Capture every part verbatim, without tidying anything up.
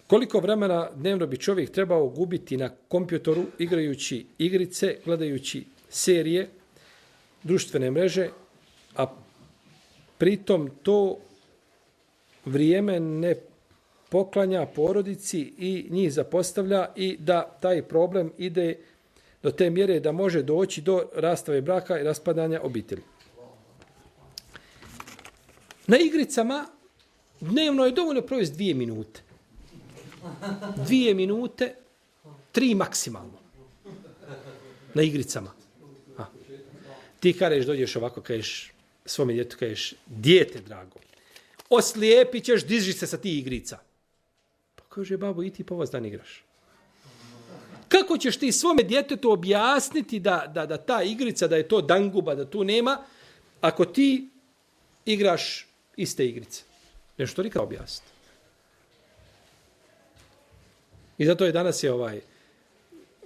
Koliko vremena dnevno bi čovjek trebao gubiti na kompjutoru igrajući igrice, gledajući serije, društvene mreže, a pritom to vrijeme ne poklanja porodici i njih zapostavlja i da taj problem ide do te mjere da može doći do rastave braka i raspadanja obitelji. Na igricama dnevno je dovoljno provesti dvije minute. Dvije minute, tri maksimalno. Na igricama. A. Ti kažeš, dođeš ovako, kažeš svome djetu, kažeš, dijete drago, oslijepit ćeš, diži se sa ti igrica. Pa kaže, babo, i ti po vas dan igraš. Kako ćeš ti svome djetetu objasniti da, da, da ta igrica, da je to danguba, da tu nema, ako ti igraš iste igrice? Nešto nikada objasniti. I zato je danas je ovaj,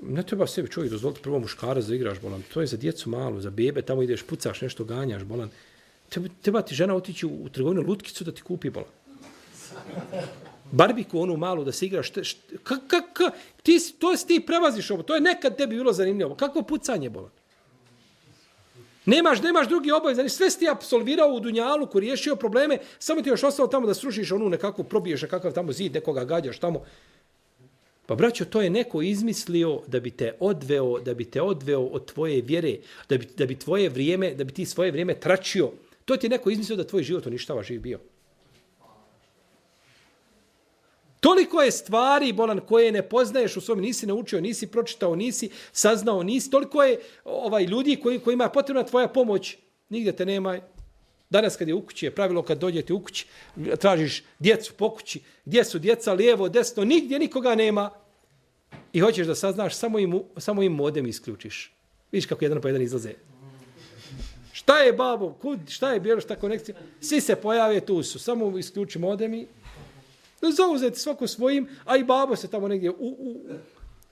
ne treba sebi čovjek dozvoliti prvo muškara da igraš, bolan. To je za djecu malu, za bebe, tamo ideš, pucaš, nešto ganjaš, bolan. Treba, treba ti žena otići u, u trgovinu lutkicu da ti kupi, bolan. Barbiku onu malu da se igraš. Ka, ka, ka, ti, to si ti prevaziš ovo. To je nekad tebi bilo zanimljivo. Kako pucanje, bolan? Nemaš, nemaš drugi obavez. Sve si ti apsolvirao u Dunjaluku, riješio probleme, samo ti još ostalo tamo da srušiš onu nekako, probiješ nekakav tamo zid, nekoga gađaš tamo. Pa braćo, to je neko izmislio da bi te odveo, da bi te odveo od tvoje vjere, da bi, da bi tvoje vrijeme, da bi ti svoje vrijeme tračio. To ti je neko izmislio da tvoj život uništava živ bio. Toliko je stvari, bolan, koje ne poznaješ u svom, nisi naučio, nisi pročitao, nisi saznao, nisi, toliko je ovaj ljudi koji kojima je potrebna tvoja pomoć, nigdje te nema. Danas kad je u kući, je pravilo kad dođete u kući, tražiš djecu po kući, gdje su djeca, lijevo, desno, nigdje nikoga nema. I hoćeš da saznaš, samo im, samo im modem isključiš. Vidiš kako jedan po jedan izlaze. Šta je babo, kud, šta je bilo, šta konekcija? Svi se pojave, tu su, samo isključi modem i zauzeti svako svojim, a i babo se tamo negdje u, u,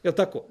jel tako?